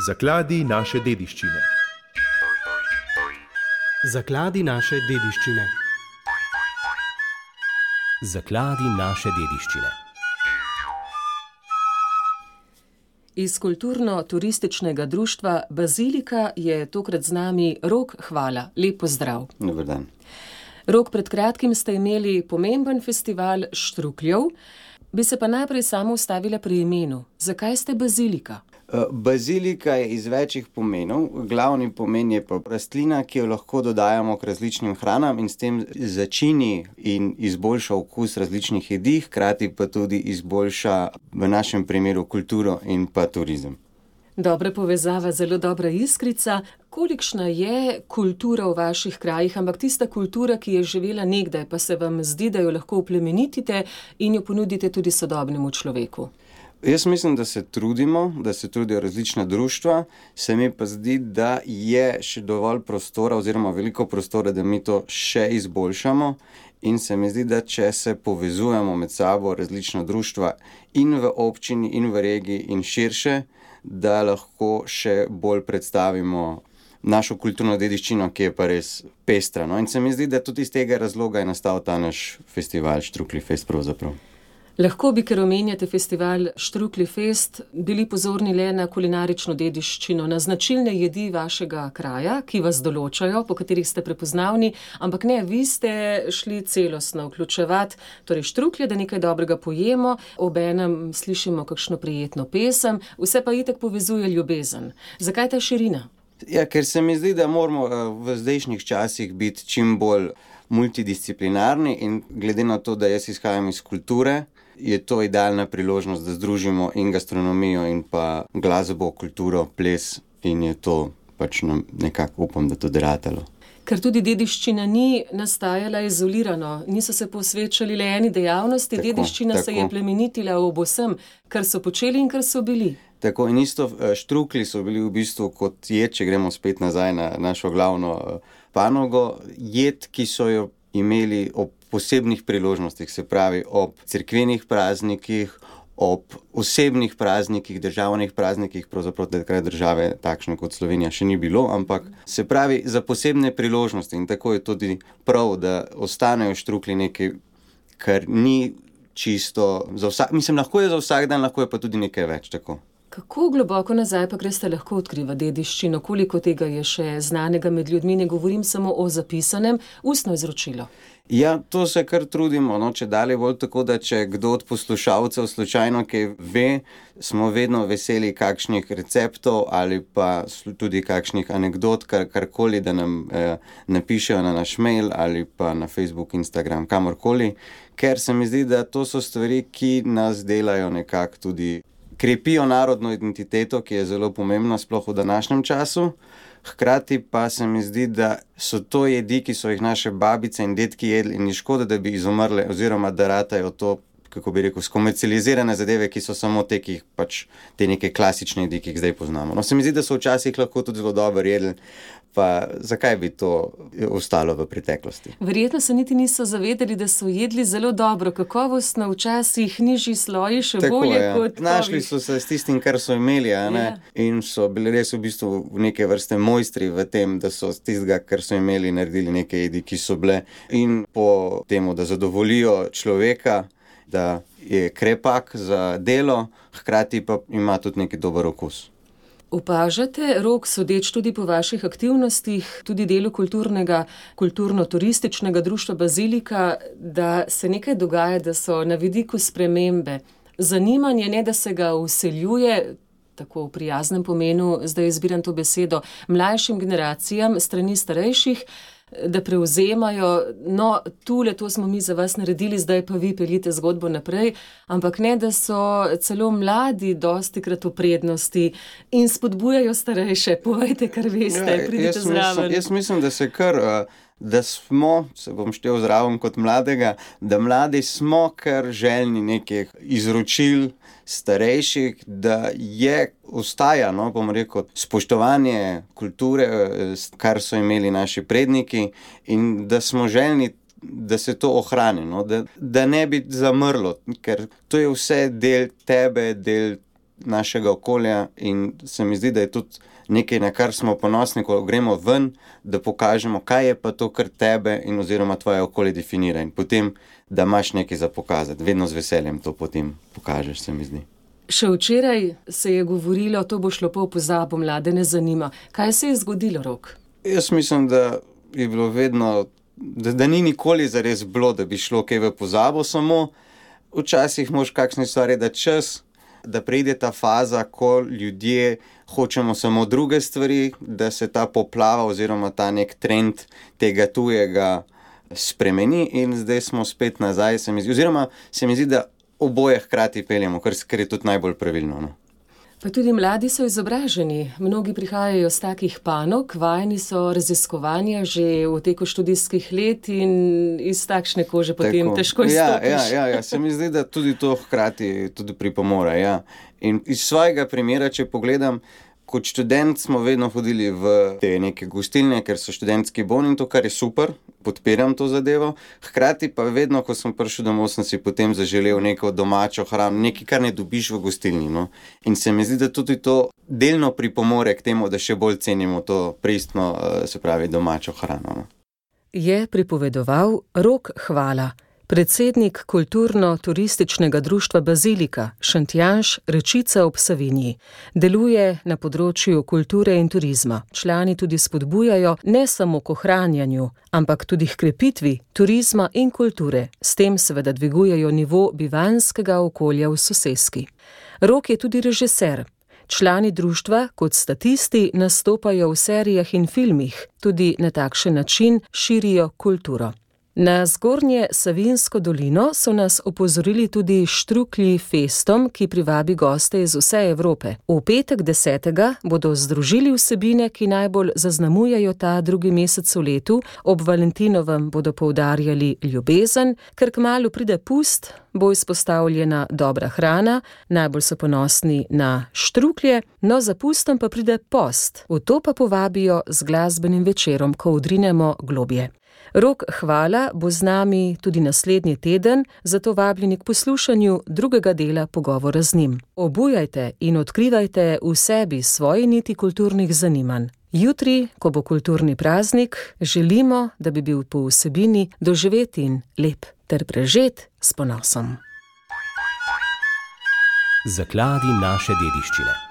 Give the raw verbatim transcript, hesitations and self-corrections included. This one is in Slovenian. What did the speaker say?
Zakladi naše dediščine. Zakladi naše dediščine. Zakladi naše dediščine. Iz kulturno-turističnega društva Bazilika je tokrat z nami Rok Hvala. Lep pozdrav. Dober dan. Rok, pred kratkim ste imeli pomemben festival Štrukljev. Bi se pa najprej samo ustavila pri imenu. Zakaj ste Bazilika? Bazilika je iz večjih pomenov. Glavni pomen je pa rastlina, ki jo lahko dodajamo k različnim hranam in s tem začini in izboljša okus različnih jedi, hkrati pa tudi izboljša v našem primeru kulturo in pa turizem. Dobra povezava, zelo dobra iskrica. Kolikšna je kultura v vaših krajih, ampak tista kultura, ki je živela nekdaj, pa se vam zdi, da jo lahko oplemenitite in jo ponudite tudi sodobnemu človeku? Jaz mislim, da se trudimo, da se trudijo različna društva, se mi pa zdi, da je še dovolj prostora oziroma veliko prostora, da mi to še izboljšamo, in se mi zdi, da če se povezujemo med sabo različna društva in v občini in v regiji in širše, da lahko še bolj predstavimo našo kulturno dediščino, ki je pa res pestra. No? In se mi zdi, da tudi iz tega razloga je nastal ta naš festival Štruklji fest pravzaprav. Lahko bi, ker omenjate festival Štruklji fest, bili pozorni le na kulinarično dediščino, na značilne jedi vašega kraja, ki vas določajo, po katerih ste prepoznavni, ampak ne, vi ste šli celostno vključevati, torej štruklje, da nekaj dobrega pojemo, obenem slišimo kakšno prijetno pesem, vse pa itak povezuje ljubezen. Zakaj ta širina? Ja, ker se mi zdi, da moramo v zdajšnjih časih biti čim bolj multidisciplinarni in glede na to, da jaz izhajam iz kulture, je to idealna priložnost, da združimo in gastronomijo in pa glasbo, kulturo, ples in je to pač nekako upam, da to deratalo. Ker tudi dediščina ni nastajala izolirano, niso se posvečali le eni dejavnosti, tako, dediščina tako. Se je plemenitila ob vsem, kar so počeli in kar so bili. Tako in isto štruklji so bili v bistvu kot jed, če gremo spet nazaj na našo glavno panogo, jed, ki so jo imeli ob posebnih priložnostih, se pravi ob cerkvenih praznikih, ob osebnih praznikih, državnih praznikih, pravzaprav takrat države takšne kot Slovenija še ni bilo, ampak se pravi za posebne priložnosti in tako je tudi prav, da ostanejo štruklji nekaj, kar ni čisto za vsak, mislim, lahko je za vsak dan, lahko je pa tudi nekaj več, tako. Kako globoko nazaj pa greste lahko odkriva dediščino? Koliko tega je še znanega med ljudmi? Ne govorim samo o zapisanem, ustno izročilo. Ja, to se kar trudimo, no, če dalje bolj tako, da če kdo od poslušalcev slučajno kaj ve, smo vedno veseli kakšnih receptov ali pa tudi kakšnih anekdot, kar, karkoli, da nam eh, napišejo na naš mail ali pa na Facebook, Instagram, kamorkoli, ker se mi zdi, da to so stvari, ki nas delajo nekako tudi krepijo narodno identiteto, ki je zelo pomembna, sploh v današnjem času. Hkrati pa se mi zdi, da so to jedi, ki so jih naše babice in dedki jedli in ni škoda, da bi izumrle oziroma da ratajo to, kako bi rekel, skomercializirane zadeve, ki so samo te, ki jih pač te neke klasične jedi, ki jih zdaj poznamo. No, se mi zdi, da so včasih lahko tudi zelo dobro jedli, pa zakaj bi to ostalo v preteklosti? Verjetno se niti niso zavedali, da so jedli zelo dobro, kakovostno, včasih nižji sloji, še tako, bolje ja. Kot našli so se s tistim, kar so imeli, a ne? Ja. In so bili res v bistvu neke vrste mojstri v tem, da so z tistega, kar so imeli, naredili neke jedi, ki so bile in po temu, da zadovoljijo človeka, da je krepak za delo, hkrati pa ima tudi neki dober okus. Opažate, Rok, sodeč tudi po vaših aktivnostih, tudi delu kulturnega, kulturno-turističnega društva Bazilika, da se nekaj dogaja, da so na vidiku spremembe. Zanimanje, ne da se ga vseljuje, tako v prijaznem pomenu, zdaj izbiram to besedo, mlajšim generacijam, strani starejših, da prevzemajo, no, tule, to smo mi za vas naredili, zdaj pa vi peljite zgodbo naprej, ampak ne, da so celo mladi dostikrat v prednosti in spodbujajo starejše. Povejte, kar veste, ja, pridite zraven. Mislim, jaz mislim, da se kar, da smo, se bom štel zraven kot mladega, da mladi smo kar željni nekih izročil starejših, da je, ostaja, no, bom rekel, spoštovanje kulture, kar so imeli naši predniki in da smo željni, da se to ohrani, no, da, da ne bi zamrlo, ker to je vse del tebe, del našega okolja in se mi zdi, da je tudi nekaj, na kar smo ponosni, ko gremo ven, da pokažemo, kaj je pa to, kar tebe in oziroma tvoje okolje definira in potem, da imaš nekaj za pokazati. Vedno z veseljem to potem pokažeš, se mi zdi. Še včeraj se je govorilo, to bo šlo pa v pozabo, mlade ne zanima. Kaj se je zgodilo, Rok? Jaz mislim, da je bilo vedno, da, da ni nikoli zares bilo, da bi šlo kaj v pozabo, samo včasih moraš kakšne stvari dati čas, da pride ta faza, ko ljudje hočemo samo druge stvari, da se ta poplava oziroma ta nek trend tega tujega spremeni in zdaj smo spet nazaj, se mi zdi, oziroma se mi zdi, da oboje hkrati peljemo, kar, kar je tudi najbolj pravilno. No? Pa tudi mladi so izobraženi. Mnogi prihajajo z takih panog, vajeni so raziskovanja že v teku študijskih let in iz takšne kože potem Tako. težko izstopiš. Ja, ja, ja, ja, se mi zdi, da tudi to hkrati tudi pripomore. Ja. In iz svojega primera, če pogledam, kot študent smo vedno hodili v te neke gostilne, ker so študentski boni in to, kar je super, podpiram to zadevo. Hkrati pa vedno, ko sem prišel domov, sem si potem zaželel neko domačo hrano, nekaj, kar ne dobiš v gostilni. No? In se mi zdi, da tudi to delno pripomore k temu, da še bolj cenimo to pristno, se pravi, domačo hrano. No? Je pripovedoval Rok Hvala, predsednik kulturno-turističnega društva Bazilika, Šentjanž, Rečica ob Savinji. Deluje na področju kulture in turizma. Člani tudi spodbujajo ne samo k ohranjanju, ampak tudi k krepitvi turizma in kulture. S tem seveda dvigujejo nivo bivanjskega okolja v soseski. Rok je tudi režiser. Člani društva kot statisti nastopajo v serijah in filmih, tudi na takšen način širijo kulturo. Na Zgornje Savinjsko dolino so nas opozorili tudi Štruklji festom, ki privabi goste iz vse Evrope. V petek desetega bodo združili vsebine, ki najbolj zaznamujejo ta drugi mesec v letu. Ob Valentinovem bodo poudarjali ljubezen, ker kmalu pride pust, bo izpostavljena dobra hrana, najbolj so ponosni na štruklje, no za pustom pa pride post. V to pa povabijo z glasbenim večerom, ko odrinemo globje. Rok Hvala bo z nami tudi naslednji teden, zato vabljeni k poslušanju drugega dela pogovora z njim. Obujajte in odkrivajte v sebi svoje niti kulturnih zanimanj. Jutri, ko bo kulturni praznik, želimo, da bi bil po vsebini doživet in lep ter prežet s ponosom. Zakladi naše dediščine.